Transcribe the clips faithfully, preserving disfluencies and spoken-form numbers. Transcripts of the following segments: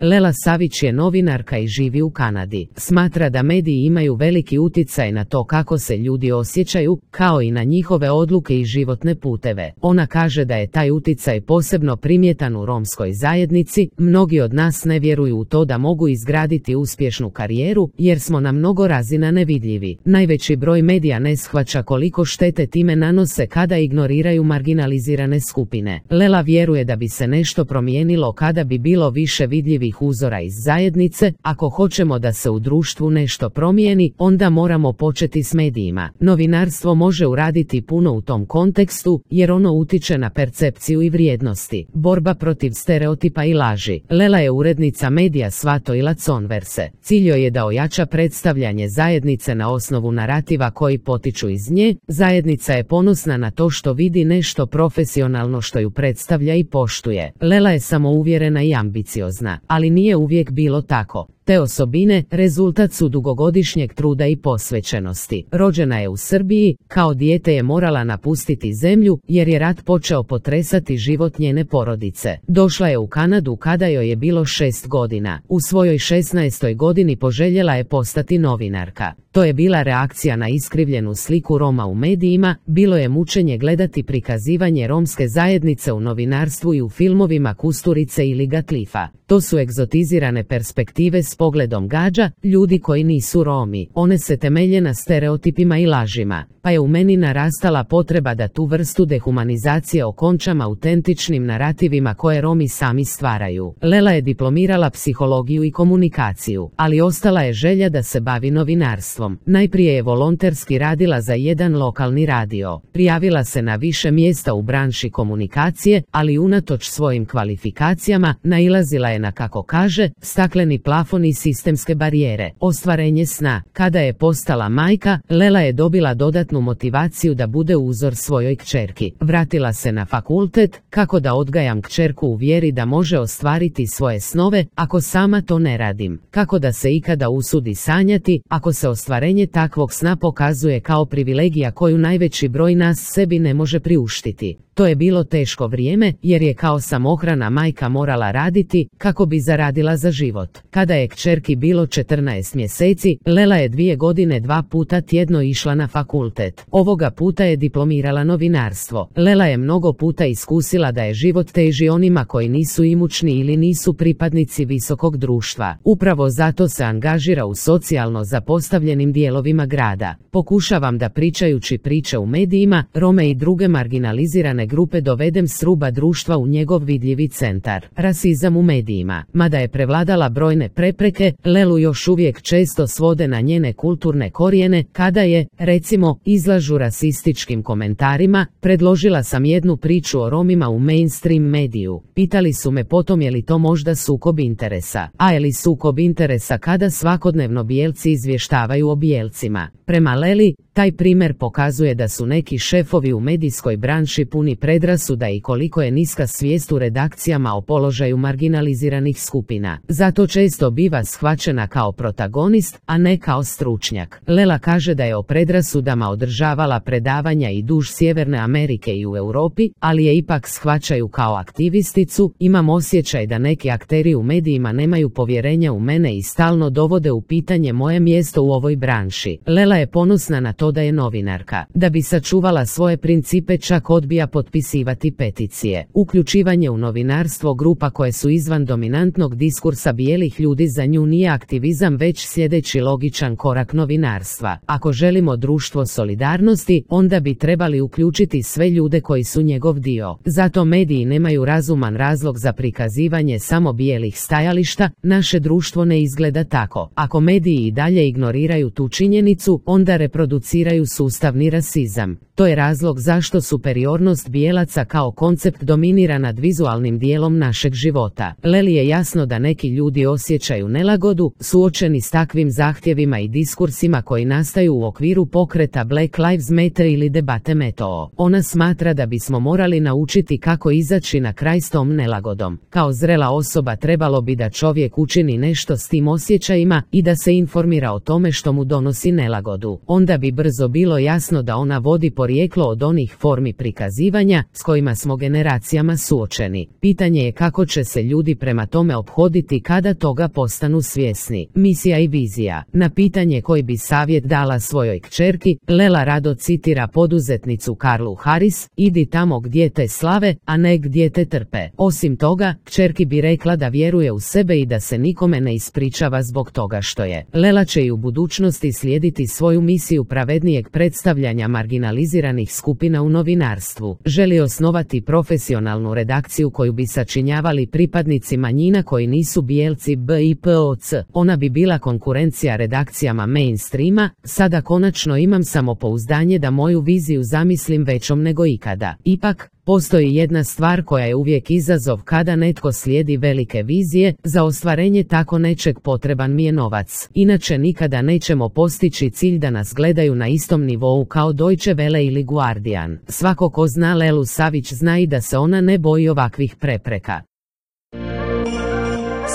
Lela Savić je novinarka i živi u Kanadi. Smatra da mediji imaju veliki utjecaj na to kako se ljudi osjećaju, kao i na njihove odluke i životne puteve. Ona kaže da je taj utjecaj posebno primjetan u romskoj zajednici. Mnogi od nas ne vjeruju u to da mogu izgraditi uspješnu karijeru, jer smo na mnogo razina nevidljivi. Najveći broj medija ne shvaća koliko štete time nanose kada ignoriraju marginalizirane skupine. Lela vjeruje da bi se nešto promijenilo kada bi bilo više vidljivih uzora iz zajednice. Ako hoćemo da se u društvu nešto promijeni, onda moramo početi s medijima. Novinarstvo može uraditi puno u tom kontekstu, jer ono utiče na percepciju i vrijednosti. Borba protiv stereotipa i laži. Lela je urednica medija Svato i Laconverse. Cilj joj je da ojača predstavljanje zajednice na osnovu narativa koji potiču iz nje. Zajednica je ponosna na to što vidi nešto profesionalno što ju predstavlja i poštuje. Lela je samouvjerena i ambiciozna, ali nije uvijek bilo tako. Te osobine rezultat su dugogodišnjeg truda i posvećenosti. Rođena je u Srbiji, kao dijete je morala napustiti zemlju jer je rat počeo potresati život njene porodice. Došla je u Kanadu kada joj je bilo šest godina. U svojoj šesnaestoj godini poželjela je postati novinarka. To je bila reakcija na iskrivljenu sliku Roma u medijima. Bilo je mučenje gledati prikazivanje romske zajednice u novinarstvu i u filmovima Kusturice ili Gatlifa. To su egzotizirane perspektive s pogledom gađa, ljudi koji nisu Romi. One se temelje na stereotipima i lažima, pa je u meni narastala potreba da tu vrstu dehumanizacije okončam autentičnim narativima koje Romi sami stvaraju. Lela je diplomirala psihologiju i komunikaciju, ali ostala je želja da se bavi novinarstvom. Najprije je volonterski radila za jedan lokalni radio. Prijavila se na više mjesta u branši komunikacije, ali unatoč svojim kvalifikacijama nailazila je na, kako kaže, stakleni plafon i sistemske barijere. Ostvarenje sna. Kada je postala majka, Lela je dobila dodatnu motivaciju da bude uzor svojoj kćerki. Vratila se na fakultet. Kako da odgajam kćerku u vjeri da može ostvariti svoje snove, ako sama to ne radim? Kako da se ikada usudi sanjati, ako se ostvarenje takvog sna pokazuje kao privilegija koju najveći broj nas sebi ne može priuštiti? To je bilo teško vrijeme, jer je kao samohrana majka morala raditi kako bi zaradila za život. Kada je kćerki bilo četrnaest mjeseci, Lela je dvije godine dva puta tjedno išla na fakultet. Ovoga puta je diplomirala novinarstvo. Lela je mnogo puta iskusila da je život teži onima koji nisu imućni ili nisu pripadnici visokog društva. Upravo zato se angažira u socijalno zapostavljenim dijelovima grada. Pokušavam da pričajući priče u medijima, Rome i druge marginalizirane grupe dovedem s ruba društva u njegov vidljivi centar. Rasizam u medijima. Mada je prevladala brojne prepreke, Lelu još uvijek često svode na njene kulturne korijene. Kada je, recimo, izlažu rasističkim komentarima, predložila sam jednu priču o Romima u mainstream mediju. Pitali su me potom je li to možda sukob interesa. A je li sukob interesa kada svakodnevno bijelci izvještavaju o bijelcima? Prema Leli, taj primjer pokazuje da su neki šefovi u medijskoj branši puni predrasuda i koliko je niska svijest u redakcijama o položaju marginaliziranih skupina. Zato često biva shvaćena kao protagonist, a ne kao stručnjak. Lela kaže da je o predrasudama održavala predavanja i duž Sjeverne Amerike i u Europi, ali je ipak shvaćaju kao aktivisticu. Imam osjećaj da neki akteri u medijima nemaju povjerenja u mene i stalno dovode u pitanje moje mjesto u ovoj branši. Lela je ponosna na to da je novinarka. Da bi sačuvala svoje principe čak odbija potpisivati peticije. Uključivanje u novinarstvo grupa koje su izvan dominantnog diskursa bijelih ljudi za nju nije aktivizam već sljedeći logičan korak novinarstva. Ako želimo društvo solidarnosti, onda bi trebali uključiti sve ljude koji su njegov dio. Zato mediji nemaju razuman razlog za prikazivanje samo bijelih stajališta. Naše društvo ne izgleda tako. Ako mediji i dalje ignoriraju tu činjenicu, onda reproduciraju sustavni rasizam. To je razlog zašto superiornost bijelaca kao koncept dominira nad vizualnim dijelom našeg života. Leli je jasno da neki ljudi osjećaju nelagodu, suočeni s takvim zahtjevima i diskursima koji nastaju u okviru pokreta Black Lives Matter ili debate Metoo. Ona smatra da bismo morali naučiti kako izaći na kraj s tom nelagodom. Kao zrela osoba trebalo bi da čovjek učini nešto s tim osjećajima i da se informira o tome što mu donosi nelagodu. Onda bi brzo bilo jasno da ona vodi po porijeklo od onih formi prikazivanja s kojima smo generacijama suočeni. Pitanje je kako će se ljudi prema tome ophoditi kada toga postanu svjesni. Misija i vizija. Na pitanje koji bi savjet dala svojoj kćerki, Lela rado citira poduzetnicu Karlu Harris: idi tamo gdje te slave, a ne gdje te trpe. Osim toga, kćerki bi rekla da vjeruje u sebe i da se nikome ne ispričava zbog toga što je. Lela će i u budućnosti slijediti svoju misiju pravednijeg predstavljanja marginaliziranih skupina u novinarstvu. Želi osnovati profesionalnu redakciju koju bi sačinjavali pripadnici manjina koji nisu bijelci B I P O C. Ona bi bila konkurencija redakcijama mainstreama. Sada konačno imam samopouzdanje da moju viziju zamislim većom nego ikada. Ipak, postoji jedna stvar koja je uvijek izazov kada netko slijedi velike vizije. Za ostvarenje tako nečeg potreban mi je novac. Inače nikada nećemo postići cilj da nas gledaju na istom nivou kao Deutsche Welle ili Guardian. Svako ko zna Lelu Savić zna i da se ona ne boji ovakvih prepreka.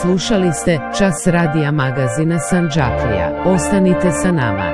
Slušali ste Čas radija magazina Sandžaklija. Ostanite sa nama.